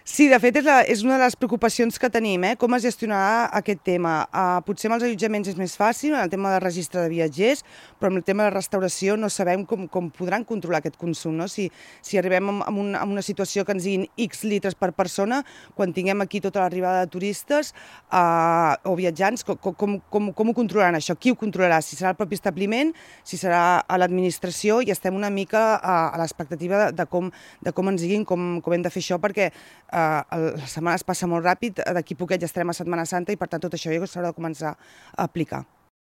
Sí, de fet és una de les preocupacions que tenim, com es gestionarà aquest tema. Potser amb els allotjaments és més fàcil, en el tema de registre de viatgers, però amb el tema de restauració no sabem com podran controlar aquest consum, no? Si arribem a una situació que ens diguin X litres per persona, quan tinguem aquí tota l'arribada de turistes o viatjants, com ho controlaran això? Qui ho controlarà? Si serà el propi establiment, si serà a l'administració, i estem una mica a l'expectativa de com ens diguin com hem de fer això, perquè la setmana es passa molt ràpid, d'aquí poquet ja estarem a Setmana Santa i per tant tot això s'haurà de començar a aplicar.